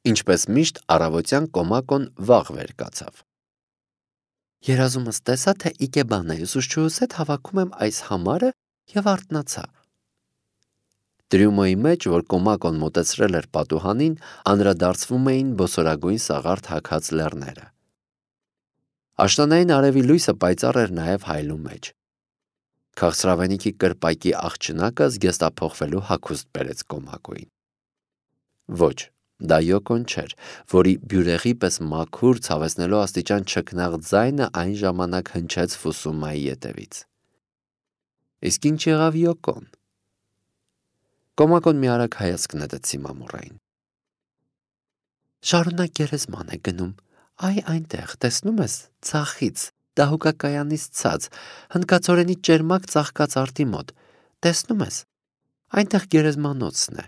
Ինչպես միշտ առավոտյան Կոմակոն վաղ վեր կացավ։ Երազումս տեսա, թե Իկեբանայի ուսուցչուհուս հետ հավաքում եմ այս համարը և արթնացա։ Տրյումոյի մեջ, որ Կոմակոն մոտեցրել էր պատուհանին, անդրադարձվում էին բոսորագույն սաղարթ հագած լեռները։ Աշնանային արևի լույսը պայծառ էր նաև հայլու մեջ։ Քաղցրավենիքի կրպակի աղջնակը զգեստափոխվելու հագուստ բերեց Կոմակոյին։ Ոչ, դա Յոկոն չէր, որի բյուրեղի պես մաքուր, ցավեցնելու աստիճան չքնաղ ձայնը այն ժամանակ հնչեց Ֆուսումայի ետևից։ Իսկ ինչ եղավ Յոկոն։ Կոմակոն մի արագ հայացք նետեց Սիմամուրային։ Շարունակ գերեզման է գնում, այ այնտեղ, տեսնում ես, ցախից, դահուկակայանից ցած, հնդկացորենի ճերմակ ծաղկած արտի մոտ, տեսնում ես, այնտեղ գերեզմանոցն է։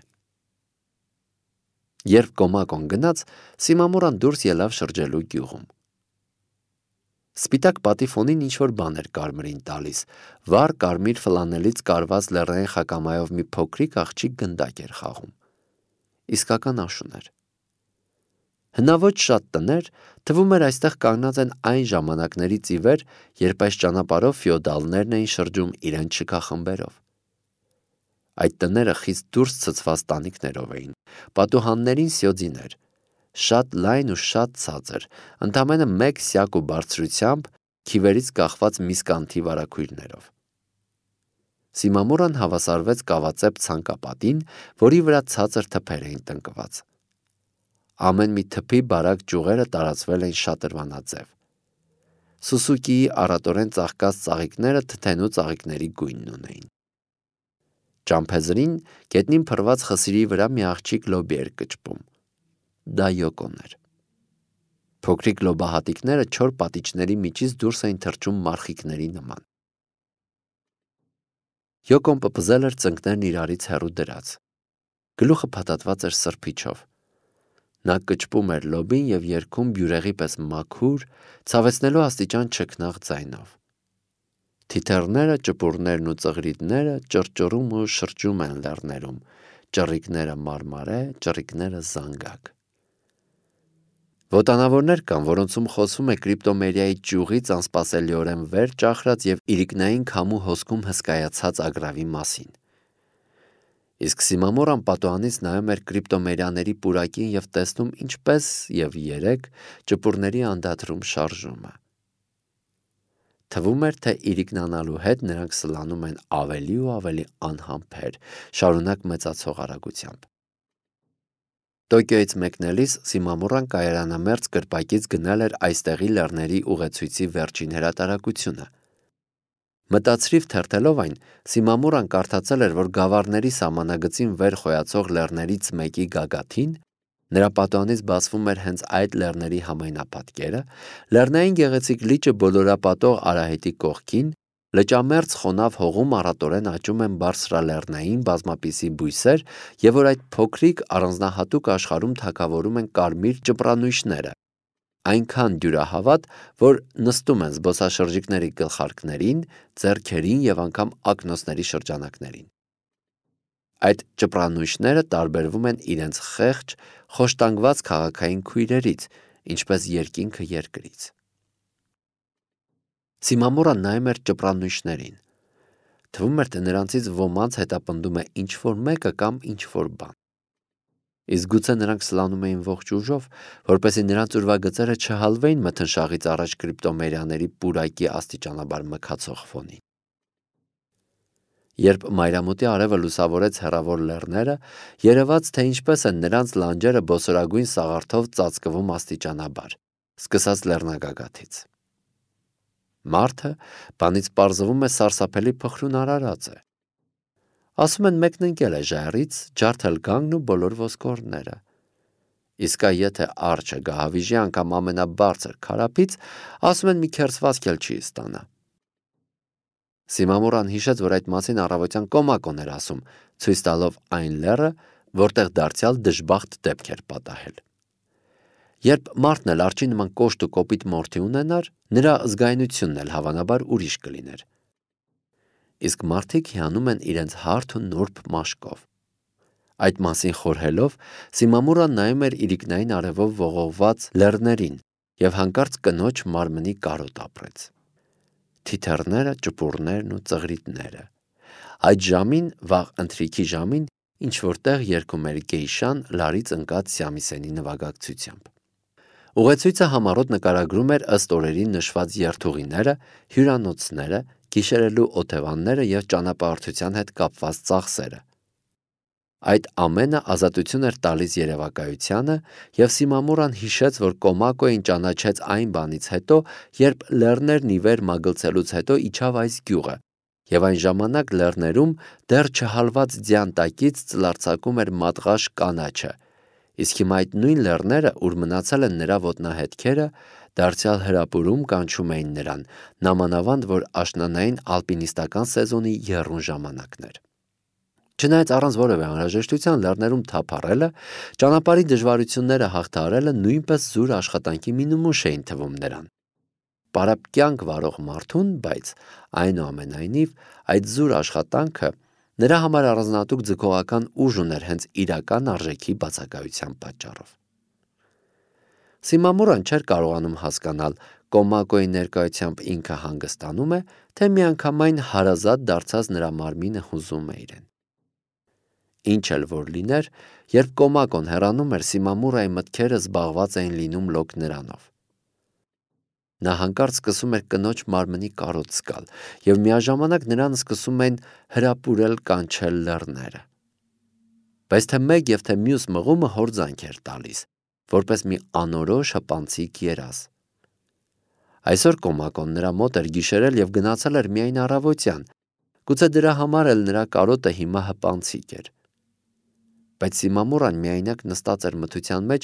Երբ Կոմակոն գնաց, Սիմամուրան դուրս ելավ շրջելու գյուղում։ Սպիտակ պատի ֆոնին ինչ-որ բան էր կարմիրին տալիս, վառ կարմիր ֆլանելից կարված լեռնային խակամայով մի փոքրիկ աղջիկ գնդակ էր խաղում։ Իսկական աշուն էր։ Հնաոճ շատ տներ, թվում էր այստեղ կանգնած են այն ժամանակներից ի վեր, երբ այս ճանապարհով ֆեոդալներն էին շրջում իրենց շքախմբերով։ Այդ տները խիստ դուրս ցցված տանիքներով էին, պատուհաններին սյոձիներ, շատ լայն ու շատ ցածր, ընդամենը 1 սյակ ու բարձրությամբ, քիվերից կախված միսկանթի վարագույրներով։ Սիմամուրան հավասարվեց կավածեպ ցանկապատին, որի վրա ցածր թփեր էին տնկված։ Ամեն մի թփի բարակ ճյուղերը տարածվել էին շատրվանաձև։ Սուսուկիի առատորեն ծաղկած ծաղիկները թթենու ծաղիկների գույնն ունեին։ Ճամփեզրին գետնին փռված խսիրի վրա մի աղջիկ լոբի էր կճպում։ Դա Յոկոն էր։ Փոքրիկ լոբահատիկները չոր պատիճների միջից դուրս էին թռչում մարխիկների նման։ Յոկոն պպզել էր ծնկներն իրարից հեռու դրած։ Գլուխը փաթաթված էր սրբիչով։ Նա կճպում էր լոբին և երգում բյուրեղի պես մաքուր, ցավեցնելու աստիճան չքնաղ ձայնով։ Թիթեռները, ճպուրներն ու ծղրիդները ճռճռում ու շրջում են լեռներում, ճռիկները մարմարե, ճռիկները զանգակ։ Ոտանավորներ կան, որոնցում խոսվում է կրիպտոմերիայի ճյուղից անսպասելիորեն վեր ճախրած և իրիկնային քամու հոսքում հսկայացած ագռավի մասին։ Իսկ Սիմամուրան պատուհանից նայում էր կրիպտոմերիաների պուրակին և տեսնում ինչպես և երեկ ճպուրների անդադրում շարժումը։ Թվում էր, թե իրիկնանալու հետ նրանք սլանում են ավելի ու ավելի անհամբեր, շարունակ մեծացող արագությամբ։ Տոկիոյից մեկնելիս Սիմամուրան կայարանամերձ կրպակից գնել էր այստեղի լեռների ուղեցույցի վերջին հրատարակությունը։ Մտածրիվ թերթելով այն, Սիմամուրան կարդացել էր, որ գավառների սահմանագծին վեր խոյացող լեռներից մեկի գագաթին, նրա պատուհանից բացվում էր հենց այդ լեռների համայնապատկերը, լեռնային գեղեցիկ լիճը բոլորապատող արահետի կողքին, լճամերձ խոնավ հողում առատորեն աճում են բարձրալեռնային բազմապիսի բույսեր և որ այդ փոքրիկ առանձնահատուկ աշխարհում թագավորում են կարմիր ճպրանույշները, այնքան դյուրահավատ, որ նստում են զբոսաշրջիկների գլխարկներին, ձեռքերին և անգամ ակնոցների շրջանակներին։ Այդ ճպրանույշները տարբերվում են իրենց խեղճ, խոշտանգված քաղաքային քույրերից, ինչպես երկինքը երկրից։ Սիմամուրան նայում էր ճպրանույշներին։ Թվում էր, թե նրանցից ոմանց հետապնդում է ինչ-որ մեկը կամ ինչ-որ բան։ Իսկ գուցե նրանք սլանում էին ողջ ուժով, որպեսզի նրանց ուրվագծերը չհալվեին մթնշաղից առաջ կրիպտոմերիաների պուրակի աստիճանաբար մքացող ֆոնին։ Երբ մայրամուտի արևը լուսավորեց հեռավոր լեռները, երևաց, թե ինչպես են նրանց լանջերը բոսորագույն սաղարթով ծածկվում աստիճանաբար, սկսած լեռնագագաթից։ Մարդը, բանից պարզվում է, սարսափելի փխրուն արարած է։ Ասում են մեկն ընկել է ժայռից, ջարդել գանգն ու բոլոր ոսկորները։ Իսկ եթե արջը գահավիժի անգամ ամենաբարձր քարափից, ասում են մի քերծվածք էլ չի ստանա։ Սիմամուրան հիշեց, որ այդ մասին առավոտյան Կոմակոն էր ասում, ցույց տալով այն լեռը, որտեղ դարձյալ դժբախտ դեպք էր պատահել։ Երբ մարդն էլ արջի նման կոշտ ու կոպիտ մորթի ունենար, նրա զգայունությունն էլ հավանաբար ուրիշ կլիներ։ Իսկ մարդիկ հիանում են իրենց հարթ ու նուրբ մաշկով։ Այդ մասին խորհելով, Սիմամուրան նայում էր իրիկնային արևով ողողված լեռներին և հանկարծ կնոջ մարմնի կարոտ ապրեց։ Թիթեռները, ճպուրներն ու ծղրիդները։ Այդ ժամին, վաղ ընթրիքի ժամին, ինչ-որտեղ երգում էր գեյշան լարից ընկած Սյամիսենի նվագակցությամբ։ Ուղեցույցը համառոտ նկարագրում էր ըստ օրերի նշված երթուղիները, հյուրանոցները, գիշերելու օթևանները և ճանապարհորդության հետ կապված ծախսերը։ Այդ ամենը ազատություն էր տալիս երևակայությանը, և Սիմամուրան հիշեց, որ Կոմակոին ճանաչեց այն բանից հետո, երբ լեռներն ի վեր մագլցելուց հետո իջավ այս գյուղը, և այն ժամանակ լեռներում դեռ չհալված ձյան տակից ծլարձակում էր մատղաշ կանաչը, իսկ հիմա այդ նույն լեռները, ուր մնացել են նրա ոտնահետքերը, դարձյալ հրապուրում կանչում էին նրան, նամանավանդ որ աշնանային ալպինիստական սեզոնի եռուն ժամանակն էր։ Չնայած առանց որևէ անհրաժեշտության լեռներում թափառելը, ճանապարհի դժվարությունները հաղթահարելը նույնպես զուր աշխատանքի մի նմուշ էին թվում նրան։ Պարապ կյանք վարող մարդուն, բայց այնուամենայնիվ այդ զուր աշխատանքը նրա համար առանձնահատուկ ձգողական ուժ ուներ հենց իրական արժեքի բացակայության պատճառով։ Սիմամուրան չէր կարողանում հասկանալ Կոմակոյի ներկայությամբ ինքը հանգստանում է, թե միանգամայն հարազատ դարձած նրա մարմինը հուզում է իրեն։ Ինչ էլ որ լիներ, երբ Կոմակոն հեռանում էր, Սիմամուրայի մտքերը զբաղված էին լինում լոկ նրանով։ Նա հանկարծ սկսում էր կնոջ մարմնի կարոտ զգալ, և միաժամանակ նրան սկսում էին հրապուրել կանչել լեռները։ Բայց թե մեկ և թե մյուս մղումը հորձանք էր տալիս, որպես մի անորոշ հպանցիկ երազ։ Այսօր Կոմակոն նրա մոտ էր գիշերել և գնացել էր միայն առավոտյան, գուցե դրա համար էլ նրա կարոտը հիմա հպանցիկ էր։ Բայց Սիմամուրան միայնակ նստած էր մթության մեջ,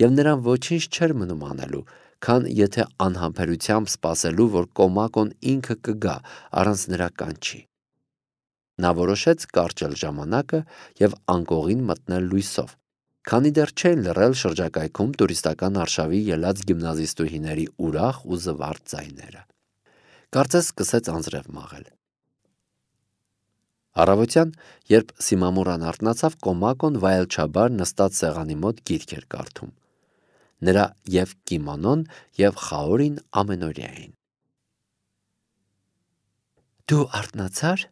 և նրան ոչինչ չէր մնում անելու, քան եթե անհամբերությամբ սպասելու, որ Կոմակոն ինքը կգա առանց նրա կանչի։ Նա որոշեց կարճել ժամանակը և անկողին մտնել լույսով, քանի դեռ չէին լռել շրջակայքում տուրիստական արշավի ելած գիմնազիստուհիների ուրախ ու զվարթ ձայները։ Կարծես սկսեց անձրև մաղել։ Առավոտյան, երբ Սիմամուրան արթնացավ, Կոմակոն վայելչաբար նստած սեղանի մոտ գիրք էր կարդում։ Նրա և կիմոնոն, և խաորին ամենօրյա էին։ «Դու արթնացա՞ր»,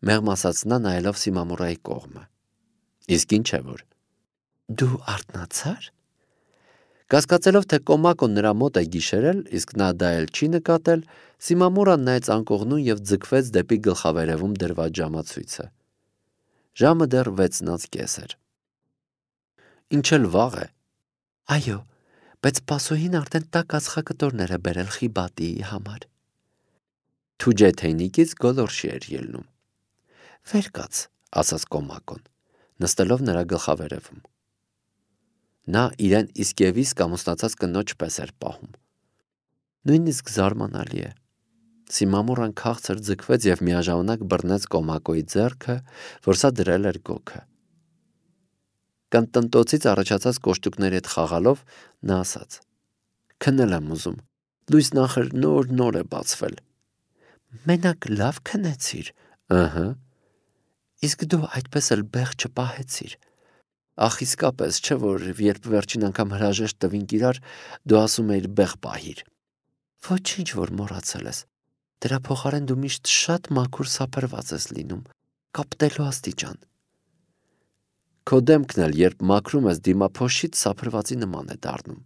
մեղմ ասաց նա, նայելով Սիմամուրայի կողմը։ Իսկ ինչ է որ։ «Դու արթնացա՞ր»։ Կասկածելով, թե Կոմակոն նրա մոտ է գիշերել, իսկ նա դա էլ չի նկատել, Սիմամուրան նայեց անկողնուն և ձգվեց դեպի գլխավերևում դրված ժամացույցը։ Ժամը դեռ 6:30 էր։ Ինչ էլ վաղ է։ Այո, բայց սպասուհին արդեն տաք ածխակտորներ է բերել Խիբատիի համար։ Թուջե թեյնիկից գոլորշի էր ելնում։ Վեր կաց, ասաց Կոմակոն, նստելով նրա գլխավերևում։ Նա իրեն իսկ և իսկ ամուսնացած կնոջ պես էր պահում։ Նույնիսկ զարմանալի է։ Սիմամուրան քաղցր ձգվեց և միաժամանակ բռնեց Կոմակոյի ձեռքը, որ սա դրել էր գոգը։ Կանտնտոցից առաջացած կոշտուկների հետ խաղալով նա ասաց. Քնել եմ ուզում, լույսն ախր նոր է բացվել։ Մենակ լավ քնեցիր։ Ըհը։ Իսկ դու այդպես էլ բեղ չպահեցիր։ Ախ իսկապես չէ, որ երբ վերջին անգամ հրաժեշտ տվինք իրար, դու ասում էիր բեղ պահիր։ Ոչինչ որ մոռացել ես։ Դրա փոխարեն դու միշտ շատ մաքուր սափրված ես լինում, կապտելու աստիճան։ Քո դեմքն էլ, երբ մաքրում ես դիմափոշիդ, սափրվածի նման է դառնում։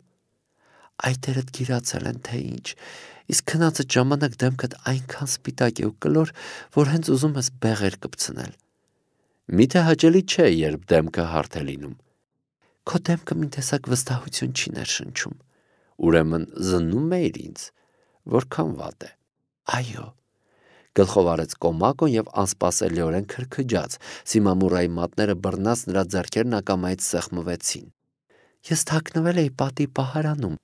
Այտերդ գիրացել են, թե ինչ, իսկ քնածդ ժամանակ դեմքդ այնքան սպիտակ է ու կլոր, որ հենց ուզում ես բեղեր կպցնել։ Միթե հաճելի չէ, երբ դեմքը հարթ է լինում։ Քո դեմքը մի տեսակ վստահություն չի ներշնչում։ Ուրեմն զննում էիր ինձ, որքան վատ է։ Այո։ Գլխով արեց Կոմակոն և անսպասելիորեն քրքջաց, Սիմամուրայի մատները բռնած նրա ձեռքերն ակամայից սեղմվեցին։ Ես թաքնվել էի պատի պահարանում։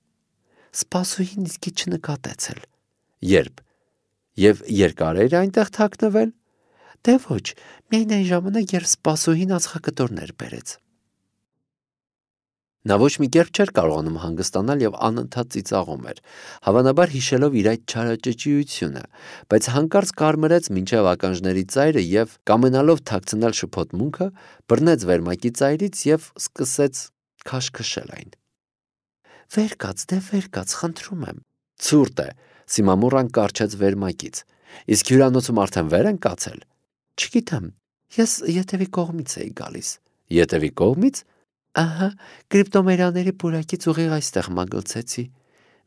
Սպասուհին իսկի չնկատեց էլ։ Երբ։ Եվ երկար էր այնտեղ թաքնվել։ Դե ոչ, միայն այն ժամանակ, երբ սպասուհին ածխակտորներ բերեց։ Նա ոչ մի կերպ չէր կարողանում հանգստանալ եւ անընդհատ ծիծաղում էր, հավանաբար հիշելով իր այդ չարաճճիությունը, բայց հանկարծ կարմրեց մինչև ականջների ծայրը եւ կամենալով թաքցնել շփոթմունքը, բռնեց վերմակի ծայրից եւ սկսեց քաշքշել այն։ «Վեր կաց, դե վեր կաց, խնդրում եմ»։ Ցուրտ է, Սիմամուրան կառչեց վերմակից։ Իսկ հյուրանոցում արդեն վեր են կացել։ Չգիտեմ, ես ետևի կողմից էի գալիս։ Ետևի կողմից։ Ահա, կրիպտոմերիաների պուրակից ուղիղ այստեղ մագլցեցի։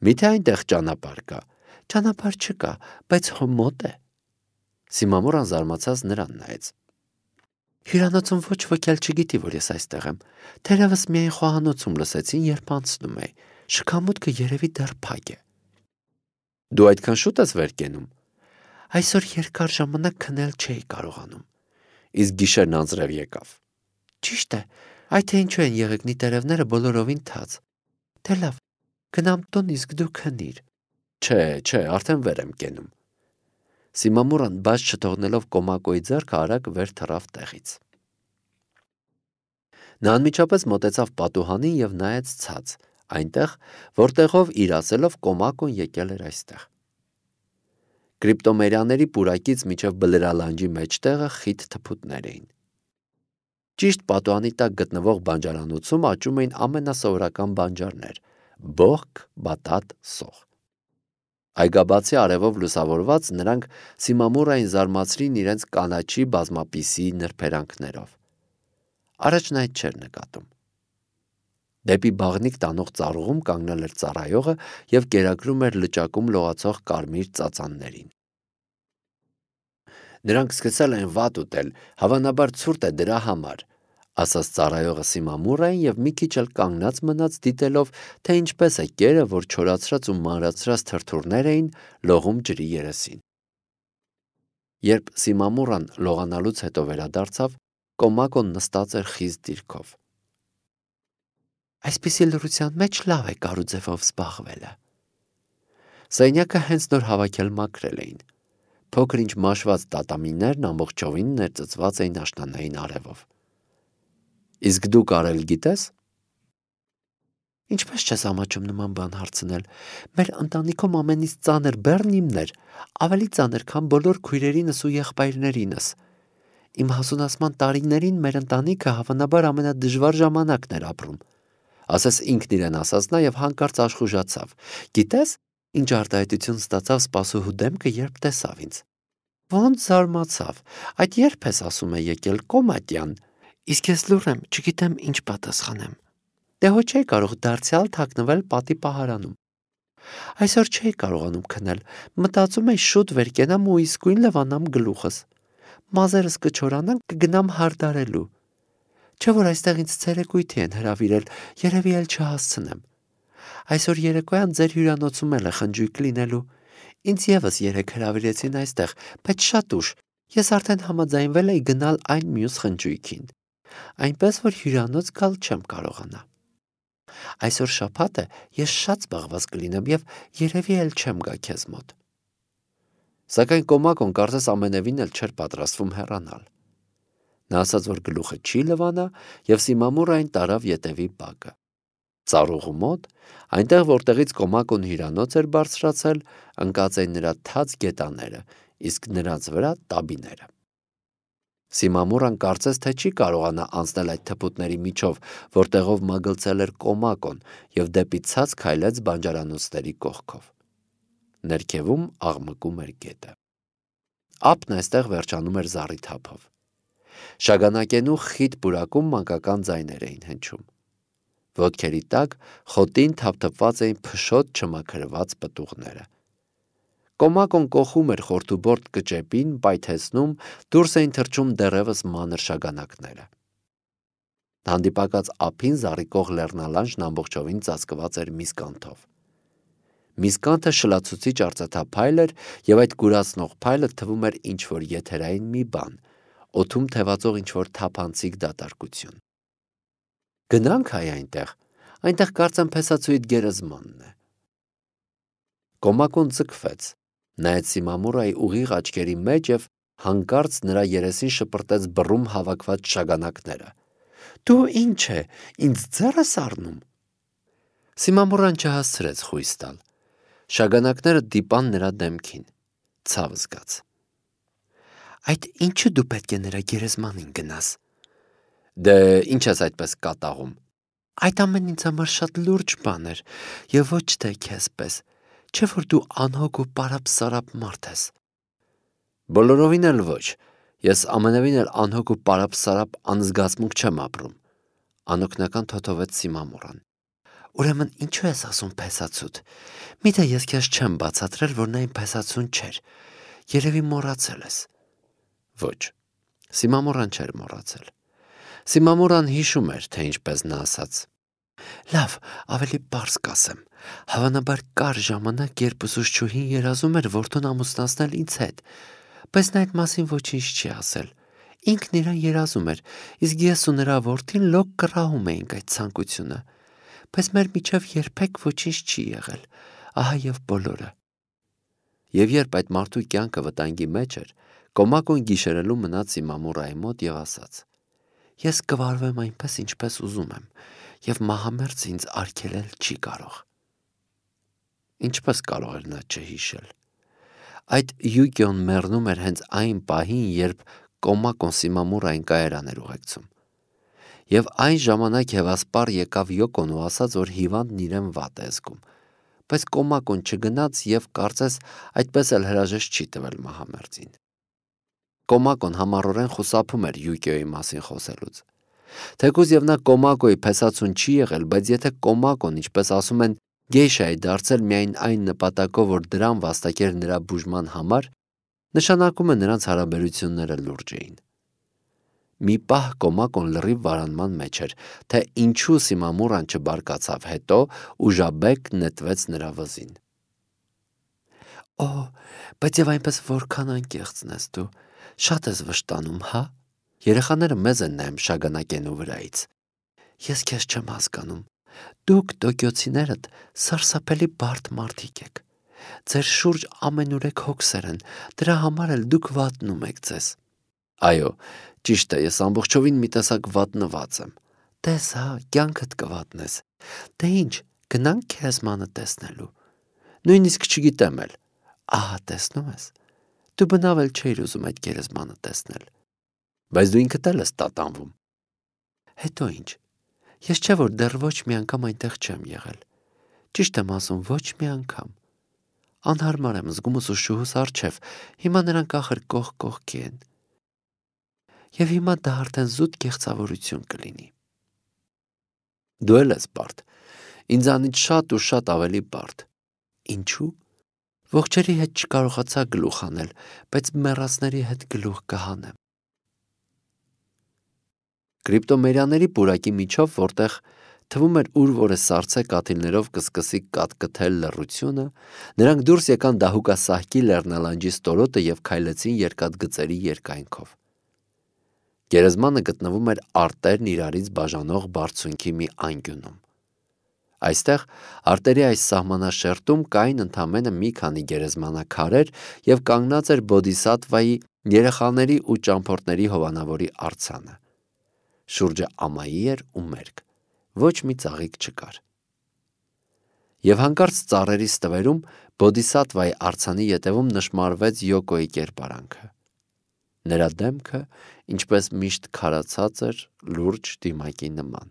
Միթե այնտեղ ճանապարհ կա։ Ճանապարհ չկա, բայց հո մոտ է։ Սիմամուրան զարմացած նրան նայեց։ Հյուրանոցում ոչ ոք էլ չգիտի, որ ես այստեղ եմ։ Թերևս միայն խոհանոցում լսեցին, երբ անցնում էի։ Շքամուտքը երևի դեռ փակ է։ Դու այդքան շուտ ես վեր կենում։ Այսօր երկար ժամանակ քնել չէի կարողանում։ Իսկ գիշերն անձրև եկավ։ Ճիշտ է, այդ թե ինչու են եղեգնի տերևները բոլորովին թաց։ Դե լավ, գնամ տուն, իսկ դու քնիր։ Չէ, արդեն վեր եմ կենում։ Սիմամուրան բաց չթողնելով Կոմակոյի ձեռքը արագ վեր թռավ տեղից։ Նա անմիջապես մոտեցավ պատուհանին եւ նայեց ցած, այնտեղ, որտեղով իր ասելով Կոմակոն եկել էր այստեղ։ Կրիպտոմերիաների պուրակից միջև բլրալանջի մեջտեղը խիտ թփուտներ էին։ Ճիշտ պատուհանի տակ գտնվող բանջարանոցում աճում էին ամենասովորական բանջարներ՝ բողք, բատատ, սող։ Այգաբացի արևով լուսավորված նրանք Սիմամուրային զարմացրին իրենց կանաչի բազմապիսի նրբերանգներով։ Առաջն այդ չէր նկատում։ Դեպի բաղնիք տանող ծառուղում կանգնել էր ծառայողը եւ կերակրում էր լճակում լողացող կարմիր ծածաններին։ Նրանք սկսել են վատ ուտել, հավանաբար ցուրտ է դրա համար, ասաց ծառայողը Սիմամուրային եւ մի քիչ էլ կանգնած մնաց դիտելով, թե ինչպես է կերը, որ չորացրած ու մանրացրած թրթուրներ էին, լողում ջրի երեսին։ Երբ Սիմամուրան լողանալուց հետո վերադարձավ, Կոմակոն նստած էր խիստ դիրքով։ Այսպիսի լռության մեջ լավ է կարուձևով զբաղվելը։ Սենյակը հենց նոր հավաքել մաքրել էին։ Փոքր ինչ մաշված տատամիներն ամբողջովին ներծծված էին աշնանային արևով։ Իսկ դու կարել գիտես։ Ինչպես չես ամաչում նման բան հարցնել։ Մեր ընտանիքում ամենից ծանր բեռն իմն էր, ավելի ծանր, քան բոլոր քույրերինս ու եղբայրներինս։ Իմ հասունացման տարիներին մեր ընտանիքը հավանաբար ամենադժվար ժամանակն էր ապրում։ Ասես ինքն իրեն ասաց նա եւ հանկարծ աշխուժացավ։ Գիտես, ինչ արտահայտություն ստացավ սպասուհու դեմքը, երբ տեսավ ինձ։ Ոնց զարմացավ։ Այդ երբ ես ասում է եկել Կոմատյան։ Իսկ ես լուռ եմ, չգիտեմ ինչ պատասխանեմ։ Դե հո չէի կարող դարձյալ թաքնվել պատի պահարանում։ Այսօր չէի կարողանում քնել, մտածում էի շուտ վեր կենամ ու իսկույն լվանամ գլուխս։ Մազերս կչորանան, կգնամ հարդարելու։ Չէ՞ որ այստեղ ինձ ցերեկույթի են հրավիրել, երևի էլ չհասցնեմ։ Այսօր երեկոյան ձեր հյուրանոցում էլ է խնջույք լինելու։ Ինձ եւս երեք հրավիրեցին այստեղ, բայց շատ ուշ։ Ես արդեն համաձայնվել էի գնալ այն մյուս խնջույքին։ Այնպես որ հյուրանոց գալ չեմ կարողանա։ Այսօր շաբաթ է, ես շատ զբաղված կլինեմ եւ երևի էլ չեմ գա քեզ մոտ։ Սակայն Կոմակոն կարծես ամենևին էլ չէր պատրաստվում հեռանալ։ Նա ասաց, որ գլուխը չի լվանա եւ Սիմամուրային տարավ ետևի բակը։ Ծառուղու մոտ, այնտեղ որտեղից Կոմակոն հյուրանոց էր բարձրացել, ընկած էին նրա թաց գետաները, իսկ նրանց վրա տաբիները։ Սիմամուրան կարծես թե չի կարողանա անցնել այդ թփուտների միջով, որտեղով մագլցել էր Կոմակոն եւ դեպի ցած քայլեց բանջարանոցների կողքով։ Ներքևում աղմկում էր գետը։ Ափն այստեղ վերջանում էր զառիթափով։ Շագանակենու խիտ պուրակում մանկական ձայներ էին հնչում։ Ոտքերի տակ խոտին թափթփված էին փշոտ չմաքրված պտուղները։ Կոմակոն կոխում էր խորթուբորտ կճեպին, պայթեցնում, դուրս էին թռչում դեռևս մանր շագանակները։ Հանդիպակաց ափին զառիկող լեռնալանջն ամբողջովին ծածկված էր միսկանթով։ Միսկանթը շլացուցիչ արծաթափայլ էր եւ այդ կուրացնող փայլը թվում էր ինչ-որ եթերային մի բան, օդում թևածող ինչ-որ թափանցիկ դատարկություն։ Գնանք հայ այնտեղ կարծեմ փեսացույց գերեզմանն է։ Կոմակոն ձգվեց, նայեց Սիմամուրայի ուղիղ աչքերի մեջ եւ հանկարծ նրա երեսին շպրտեց բռում հավաքված շագանակները։ Դու ինչ է, ինձ ձեռ ես առնում։ Սիմամուրան չհասցրեց խույս տալ։ Շագանակները դիպան նրա դեմքին, ցավ զգաց։ Այդ ինչու դու պետք է նրա գերեզմանին գնաս։ Դե ինչ ես այդպես կատաղում։ Այդ ամեն ինձ համար շատ լուրջ բան էր, եւ ոչ թե քեզ պես, չէ որ դու անհոգ ու պարապ-սարապ մարդ ես։ Բոլորովին էլ ոչ, ես ամենևին էլ անհոգ ու պարապ-սարապ անզգացմունք չեմ ապրում, անօգնական թոթովեց Սիմամուրան։ Ուրեմն ինչու ես ասում փեսացուտ։ Միթե ես քեզ չեմ բացատրել, որ նա իմ փեսացուն չէր։ Երևի մոռացել ես։ Ոչ, Սիմամուրան չէր մոռացել։ Սիմամուրան հիշում էր, թե ինչպես նա ասաց. Լավ, ավելի պարզ կասեմ։ Հավանաբար կար ժամանակ, երբ ուսուցչուհին երազում էր որդուն ամուսնացնել ինձ հետ, բայց նա այդ մասին ոչինչ չի ասել։ Ինքն իրան երազում էր, իսկ ես ու նրա որդին լոկ կռահում էինք այդ ցանկությունը, բայց մեր միջև երբեք ոչինչ չի եղել, ահա եւ բոլորը։ Եվ երբ այդ մարդու կյանքը վտանգի մեջ էր, Կոմակոն գիշերելու մնաց Սիմամուրայի մոտ եւ ասաց. Ես կվարվեմ այնպես, ինչպես ուզում եմ, եւ մահամերձ ինձ արգելել չի կարող։ Ինչպես կարող էր նա չհիշել։ Այդ Յուկիոն մեռնում էր հենց այն պահին, երբ Կոմակոն Սիմամուրային կայարան էր ուղեկցում։ Եվ այն ժամանակ հևասպար եկավ Յոկոն ու ասաց, որ հիվանդն իրեն վատ է զգում, բայց Կոմակոն չգնաց եւ կարծես այդպես էլ հրաժեշտ չի տվել մահամերձին։ Կոմակոն համառորեն խուսափում էր Յուկիոյի մասին խոսելուց։ Թեկուզ եւ նա Կոմակոյի փեսացուն չի եղել, բայց եթե Կոմակոն, ինչպես ասում են, գեյշա է դարձել միայն այն նպատակով, որ դրան վաստակեր նրա բուժման համար, նշանակում է նրանց հարաբերությունները լուրջ էին։ Մի պահ Կոմակոն լրիվ վարանման մեջ էր, թե ինչու Սիմամուրան չբարկացավ հետո ու ժաբեկ նետվեց նրա վզին։ Օ, բայց եւ այնպես որքան անկեղծն ես դու, շատ ես վշտանում, հա։ Երեխաները մեզ են նայում շագանակենու վրայից։ Ես քեզ չեմ հասկանում։ Դուք տոկիոցիներդ սարսափելի բարդ մարդիկ եք։ Ձեր շուրջ ամենուրեք հոգսեր են, դրա համար էլ դուք վատնում եք ձեզ։ Այո, ճիշտ է, ես ամբողջովին մի տեսակ վատնված եմ։ Տես հա, կյանքդ կվատնես։ Դե ինչ, գնանք քեզմանը տեսնելու։ Նույնիսկ չգիտեմ էլ։ Ահա տեսնում ես։ Դու բնավ էլ չէիր ուզում այդ գերեզմանը տեսնել։ Բայց դու ինքդ էլ ես տատանվում։ Հետո ինչ։ Ես չէ որ դեռ ոչ մի անգամ այնտեղ չեմ եղել։ Ճիշտ եմ ասում, ոչ մի անգամ։ Անհարմար եմ զգում ուսուցչուհուս առջև, հիմա նրանք ախր կողք կողքի են։ Եվ հիմա դա արդեն զուտ կեղծավորություն կլինի։ Դու էլ ես բարդ։ Ինձանից շատ ու շատ ավելի բարդ։ Ինչու՞։ Ողջերի հետ չկարողացա գլուխ անել, բայց մեռածների հետ գլուխ կհանեմ։ Կրիպտոմերյաների պուրակի միջով, որտեղ թվում էր ուր որը սառցե կաթիլներով կսկսի կատկթել լռությունը, նրանք դուրս եկան դահուկասահքի լեռնալանջի ստորոտը եւ քայլեցին երկաթգծերի երկայնքով։ Գերեզմանը գտնվում էր արտերն իրարից բաժանող բարձունքի մի անկյունում։ Այստեղ արտերի այս սահմանաշերտում կային ընդամենը մի քանի գերեզմանաքարեր եւ կանգնած էր Բոդիսատվայի երեխաների ու ճամփորդների հովանավորի արձանը։ Շուրջը ամայի էր ու մերկ, ոչ մի ծաղիկ չկար։ Եվ հանկարծ ծառերի ստվերում Բոդիսատվայի արձանի ետևում նշմարվեց Յոկոյի կերպարանքը։ Նրա դեմքը, ինչպես միշտ քարացած էր, լուրջ դիմակի նման։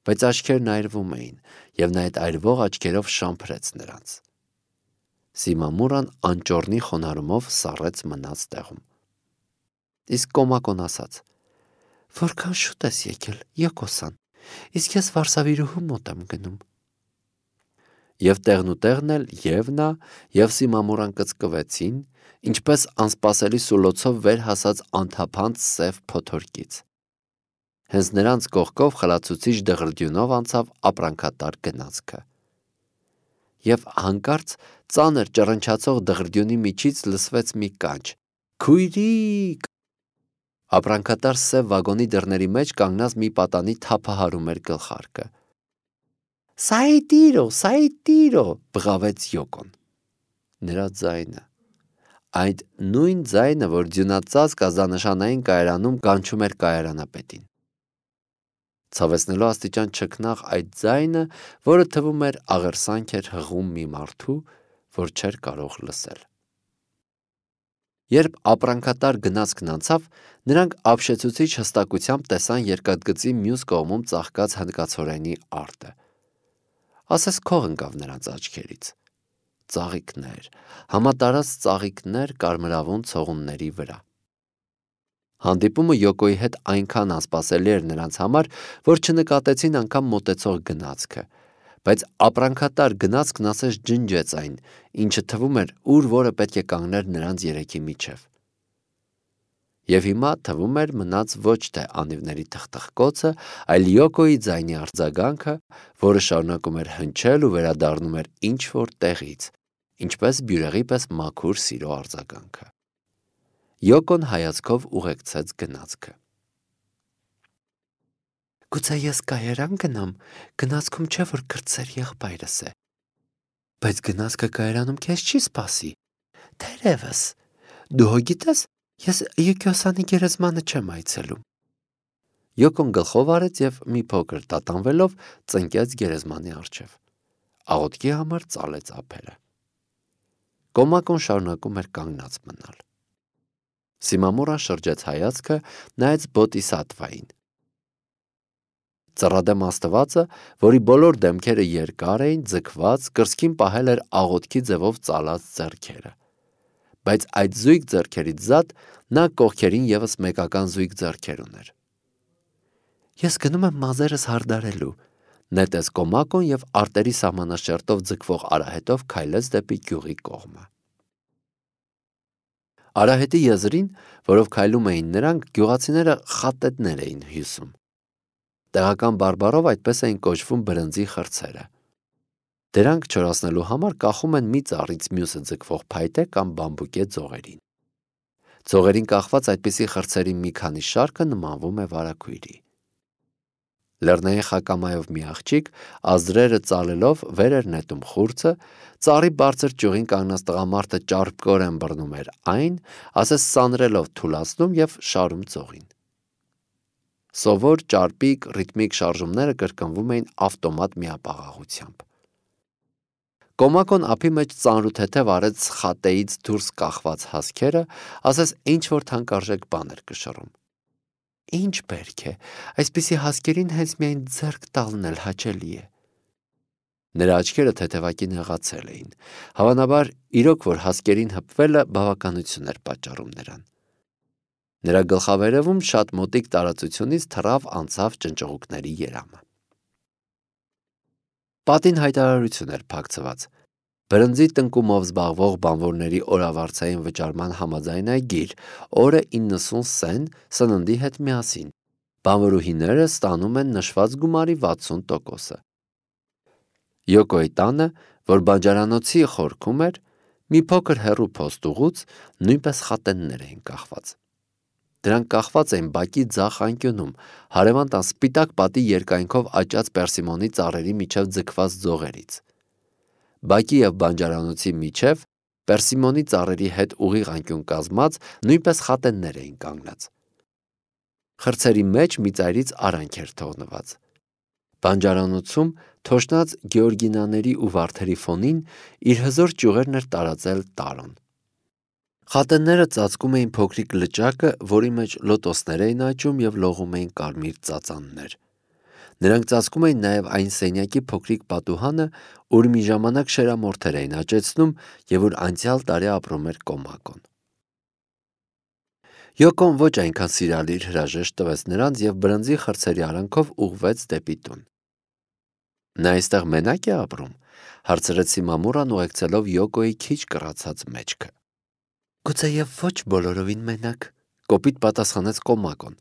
Բայց աչքերն այրվում էին, եւ նա այդ այրվող աչքերով շամփրեց նրանց։ Սիմամուրան անճոռնի խոնարհումով սառեց մնաց տեղում։ Իսկ Կոմակոն ասաց. Որքան շուտ ես եկել, Յոկոսան, իսկ ես Վարշավիրուհու մոտ եմ գնում։ Եվ տեղնուտեղն էլ եւ նա եւ Սիմամուրան կծկվեցին, ինչպես անսպասելի սուլոցով վեր հասած անթափանց սև փոթորկից։ Հենց նրանց կողքով խլացուցիչ դղրդյունով անցավ ապրանքատար գնացքը։ Եվ հանկարծ ծանր ճռնչացող դղրդյունի միջից լսվեց մի կանչ. Քույրիկ։ Ապրանքատար սև վագոնի դռների մեջ կանգնած մի պատանի թափահարում էր գլխարկը։ Սայտիրո, բղավեց Յոկոն։ Նրա ձայնը, այդ նույն ձայնը, որ ձյունածածկ ազդանշանային կայարանում կանչում էր կայարանապետին։ ցավեցնելով աստիճան չքնաղ այդ ձայնը, որը թվում էր աղերսանք էր հղում մի մարդու, որ չէր կարող լսել։ Երբ ապրանքատար գնացքն անցավ, նրանք ապշեցուցիչ հստակությամբ տեսան երկաթգծի մյուս կողմում ծաղկած հնդկացորենի արտը։ Ասես քող ընկավ նրանց աչքերից։ Ծաղիկներ, համատարած ծաղիկներ կարմրավուն ցողունների վրա։ Հանդիպումը Յոկոյի հետ այնքան անսպասելի էր նրանց համար, որ չնկատեցին անգամ մոտեցող գնացքը, բայց ապրանքատար գնացքն ասես ջնջեց այն, ինչը թվում էր ուր որը պետք է կանգներ նրանց երեքի միջև։ Եվ հիմա թվում էր մնաց ոչ թե անիվների թխթխկոցը, այլ Յոկոյի ձայնի արձագանքը, որը շարունակում էր հնչել ու վերադառնում էր ինչ-որ տեղից, ինչպես բյուրեղի պես մաքուր սիրո արձագանքը։ Յոկոն հայացքով ուղեկցեց գնացքը։ Գուցե ես կայարան գնամ, գնացքում չէ որ կրտսեր եղբայրս է։ Բայց գնացքը կայարանում քեզ չի սպասի։ Թերևս, դու հո գիտես, ես Յուկիոսանի գերեզմանը չեմ այցելում։ Յոկոն գլխով արեց եւ մի փոքր տատանվելով ծնկեց գերեզմանի առջև։ Աղոթքի համար ծալեց ափերը։ Կոմակոն շարունակում էր կանգնած մնալ։ Սիմամորան շրջեց հայացքը, նայեց բոդիսատվային։ Ծռադեմ աստվածը, որի բոլոր դեմքերը երկար էին, ձգված, կրծքին պահել էր աղոթքի ձևով ծալած ձեռքերը։ Բայց այդ զույգ ձեռքերից զատ նա կողքերին եւս մեկական զույգ ձեռքեր ուներ։ Ես գնում եմ մազերս հարդարելու, նետեց Կոմակոն եւ արտերի սահմանաշերտով ձգվող արահետով քայլեց դեպի գյուղի կողմը։ Արահետի եզրին, որով քայլում էին նրանք, գյուղացիները խատետներ էին հյուսում։ Տեղական բարբառով այդպես էին կոչվում բրնձի խրցերը։ Դրանք չորացնելու համար կախում են մի ծառից մյուսը ձգվող փայտե կամ բամբուկե ձողերին։ Ձողերին կախված այդպիսի խրցերի մի քանի շարքը նմանվում է վարագույրի։ Լեռնային խակամայով մի աղջիկ, ազդրերը ծալելով վեր էր նետում խուրձը, ծառի բարձր ճյուղին կանգնած տղամարդը ճարպկորեն բռնում էր այն, ասես սանրելով թուլացնում եւ շարում ձողին։ Սովոր, ճարպիկ, ռիթմիկ շարժումները կրկնվում էին ավտոմատ միապաղաղությամբ։ Կոմակոն ափի մեջ ծանրութեթև արեց խատեից դուրս կախված հասքերը, ասես ինչ-որ թանկարժեք բան էր կշռում։ Ինչ բերք է, այսպիսի հասկերին հենց միայն ձեռք տալն էլ հաճելի է։ Նրա աչքերը թեթևակի նեղացել էին։ Հավանաբար, իրոք որ հասկերին հպվելը բավականություն էր պատճառում նրան։ Նրա գլխավերևում շատ մոտիկ տարածությունից թռավ անցավ ճնճղուկների երամը։ Պատին հայտարարություն էր փակցված։ Բրնձի տնկումով զբաղվող բանվորների օրավարձային վճարման համաձայնագիր, օրը 90 սեն սննդի հետ միասին։ Բանվորուհիները ստանում են նշված գումարի 60%-ը։ Յոկոյի տանը, որ բանջարանոցի խորքում էր, մի փոքր հեռու փոստուղուց նույնպես խատեններ էին կախված։ Դրանք կախված էին բակի ձախ անկյունում, հարևան տան սպիտակ պատի երկայնքով աճած պերսիմոնի ծառերի միջև ձգված ձողերից։ Բակի եւ բանջարանոցի միջև պերսիմոնի ծառերի հետ ուղիղ անկյուն կազմած նույնպես խատեններ էին կանգնած։ Խրցերի մեջ մի ծայրից արանք էր թողնված։ Բանջարանոցում թոշնած գեորգինաների ու վարդերի ֆոնին իր հզոր ճյուղերն էր տարածել տարոն։ Խատենները ծածկում էին փոքրիկ լճակը, որի մեջ լոտոսներ էին աճում եւ լողում էին կարմիր ծածաններ։ Նրանք ծածկում էին նաև այն սենյակի փոքրիկ պատուհանը, ուր մի ժամանակ շերամորթեր էին աճեցնում եւ ուր անցյալ տարի ապրում էր Կոմակոն։ Յոկոն ոչ այնքան սիրալիր հրաժեշտ տվեց նրանց եւ բրնձի խրցերի արանքով ուղղվեց դեպի տուն։ Նա այստեղ մենակ է ապրում, հարցրեց Սիմամուրան ուղեկցելով Յոկոյի քիչ կռացած մեջքը։ Գուցե եւ ոչ բոլորովին մենակ, կոպիտ պատասխանեց Կոմակոն։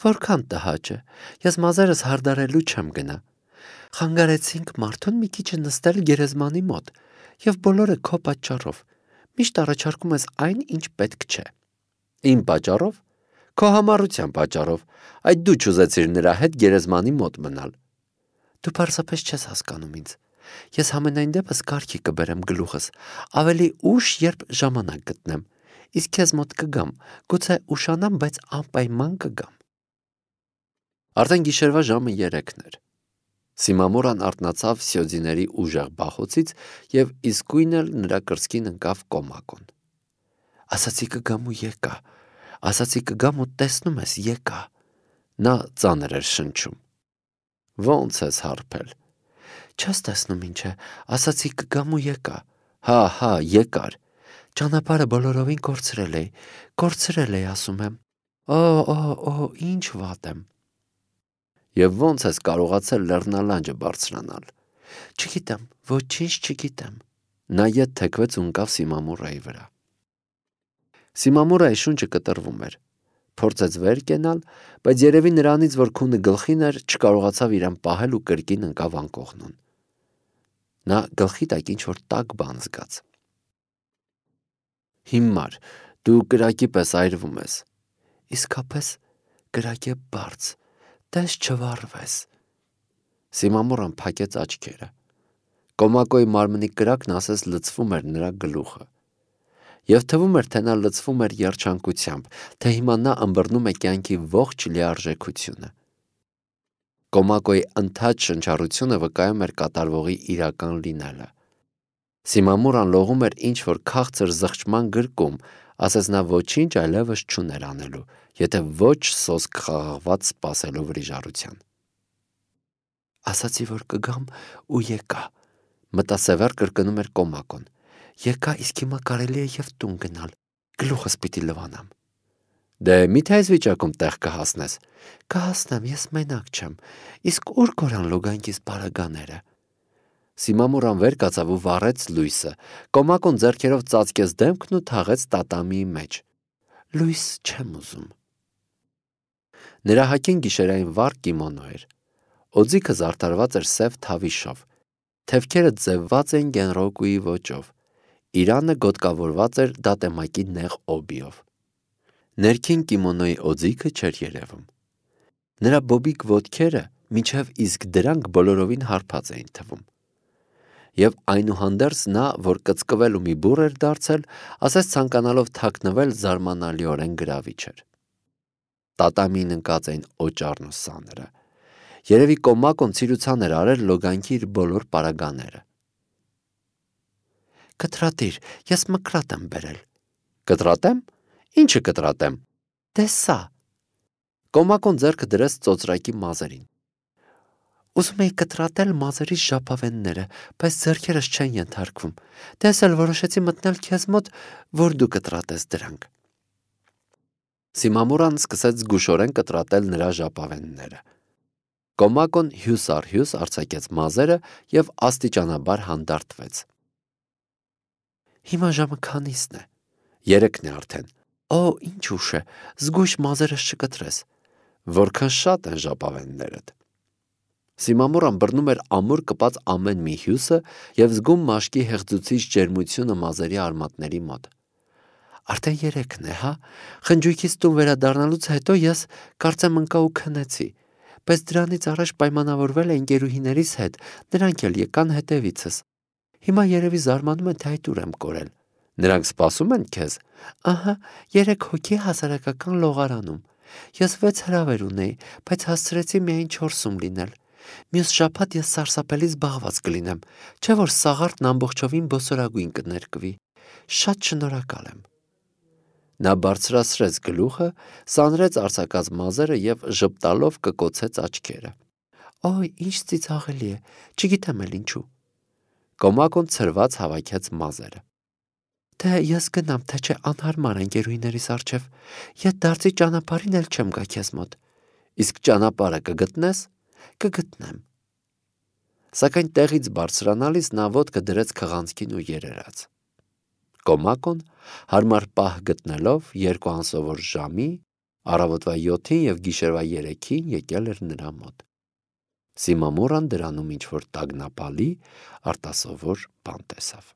Որքան տհաճ է, ես մազերս հարդարելու չեմ գնա։ Խանգարեցինք մարդուն մի քիչ նստել գերեզմանի մոտ, եւ բոլորը քո պատճառով։ Միշտ առաջարկում ես այն, ինչ պետք չէ։ Իմ պատճառով, քո համառության պատճառով, այդ դու չուզեցիր նրա հետ գերեզմանի մոտ մնալ։ Դու պարզապես չես հասկանում ինձ։ Ես համենայն դեպս կարգի կբերեմ գլուխս, ավելի ուշ, երբ ժամանակ գտնեմ։ Իսկ քեզ մոտ կգամ, գուցե ուշանամ, բայց անպայման կգամ։ Արդեն գիշերվա ժամը 3-ն էր։ Սիմամուրան արթնացավ Սյոդիների ուժեղ բախոցից և իսկույն էլ նրա կրծքին ընկավ Կոմակոն։ Ասացի կգամ ու եկա, ասացի կգամ ու տեսնում ես եկա։ Նա ծանր էր շնչում։ Ո՞նց ես հարբել։ Չես տեսնում ինչ է, ասացի կգամ ու եկա։ Հա, եկար։ Ճանապարհը բոլորովին կորցրել էի, ասում եմ։ Օ, ինչ վատ եմ։ Եվ ո՞նց ես կարողացել լեռնալանջը բարձրանալ։ Չգիտեմ, ոչինչ չգիտեմ։ Նա ետ թեքվեց ու ընկավ Սիմամուրայի վրա։ Սիմամուրայի շունչը կտրվում էր։ Փորձեց վեր կենալ, բայց երևի նրանից, որ քունը գլխին էր, չկարողացավ իրեն պահել ու կրկին ընկավ անկողնուն։ Նա գլխի տակ ինչ-որ տաք բան զգաց։ Հիմար, դու կրակի պես այրվում ես։ Իսկապես կրակ է բարձ, տես չվառվես։ Սիմամուրան փակեց աչքերը։ Կոմակոյի մարմնի կրակն ասես լցվում էր նրա գլուխը։ Եվ թվում էր, թե նա լցվում էր երջանկությամբ, թե հիմա նա ըմբռնում է կյանքի ողջ լիարժեքությունը։ Կոմակոյի ընդհատ շնչառությունը վկայում էր կատարվողի իրական լինելը։ Սիմամուրան լողում էր ինչ-որ քաղցր զղջման գրկում, ասես նա ոչինչ այլևս չուներ անելու, եթե ոչ սոսկ խաղաղված սպասելու վրիժառության։ Ասացի, որ կգամ ու եկա, մտասևեռ կրկնում էր Կոմակոն։ Եկա, իսկ հիմա կարելի է և տուն գնալ, գլուխս պիտի լվանամ։ Դե միթե այս վիճակում տեղ կհասնես։ Կհասնեմ, ես մենակ չեմ, իսկ ուր կորան լուգանքիս բարագաները։ Սիմամուրան վեր կացավ ու վառեց լույսը։ Կոմակոն ձեռքերով ծածկեց դեմքն ու թաղեց տատամիի մեջ։ Լույս չեմ ուզում։ Նրա հագին գիշերային վառ կիմոնո էր։ Օձիքը զարդարված էր սև թավիշով։ Թևքերը ձևված էին գենրոկուի ոճով։ Իրանը գոտկավորված էր դատեմակի նեղ օբիով։ Ներքին կիմոնոյի օձիքը չէր երևում։ Նրա բոբիկ ոտքերը մինչև իսկ դրանք բոլորովին հարբած էին թվում։ Եվ այնուհանդերձ նա, որ կծկվել ու մի բուռ էր դարձել, ասես ցանկանալով թաքնվել զարմանալիորեն գրավիչ էր։ Տատամին ընկած էին օճառն ու սաները։ Երևի Կոմակոն ցիրուցան էր արել լոգանքի իր բոլոր պարագաները։ Կտրատիր, ես մկրատ եմ բերել։ Կտրատեմ։ Ինչը կտրատեմ։ Դե սա։ Կոմակոն ձեռքը դրեց ծոծրակի մազերին։ Ուզում էի կտրատել մազերիս ժապավենները, բայց ձեռքերս չեն ենթարկվում։ Դες էլ որոշեցի մտնել քեզ մոտ, որ դու կտրատես դրանք։ Սիմամուրան սկսեց զգուշորեն կտրատել նրա ժապավենները։ Կոմակոն հյուս առ հյուս արձակեց մազերը և աստիճանաբար հանդարտվեց։ Հիմա ժամը քանիսն է։ 3-ն է արդեն։ Օ, ինչ ուշ է, զգույշ մազերս չկտրես։ Որքան շատ են ժապավեններդ։ Սիմամուրան բռնում էր ամուր կպած ամեն մի հյուսը և զգում մաշկի հեղձուցիչ ջերմությունը մազերի արմատների մոտ։ Արդեն 3-ն է, հա։ Խնջույքից տուն վերադառնալուց հետո ես կարծեմ ընկա ու քնեցի, բայց դրանից առաջ պայմանավորվել էի ընկերուհիներիս հետ, նրանք էլ եկան հետևիցս։ Հիմա երևի զարմանում են, թե այդ ուր եմ կորել։ Նրանք սպասում են քեզ։ Ահա, 3 հոգի հասարակական լողարանում։ Ես 6 հրավեր ունեի, բայց հասցրեցի միայն 4-ում լինել։ Մյուս շաբաթ ես սարսափելի զբաղված կլինեմ, չէ որ սաղարթն ամբողջովին բոսորագույն կներկվի։ Շատ շնորհակալ եմ։ Նա բարձրացրեց գլուխը, սանրեց արձակած մազերը և ժպտալով կկոցեց աչքերը։ Օй, ինչ ծիծաղելի է, չգիտեմ էլ ինչու։ Կոմակոն ցրված հավաքեց մազերը։ Թե ես գնամ, թե չէ անհարմար ընկերուհիներիս առջև, ետ դարձի ճանապարհին էլ չեմ գա քեզ մոտ։ Իսկ ճանապարհը կգտնես։ Կգտնեմ։ Սակայն տեղից բարձրանալիս նա ոտքը դրեց քղանցքին ու երերաց։ Կոմակոն հարմար պահ գտնելով 2 անսովոր ժամի, առավոտվա 7-ին և գիշերվա 3-ին եկել էր նրա մոտ։ Սիմամուրան դրանում ինչ-որ տագնապալի արտասովոր բան տեսավ։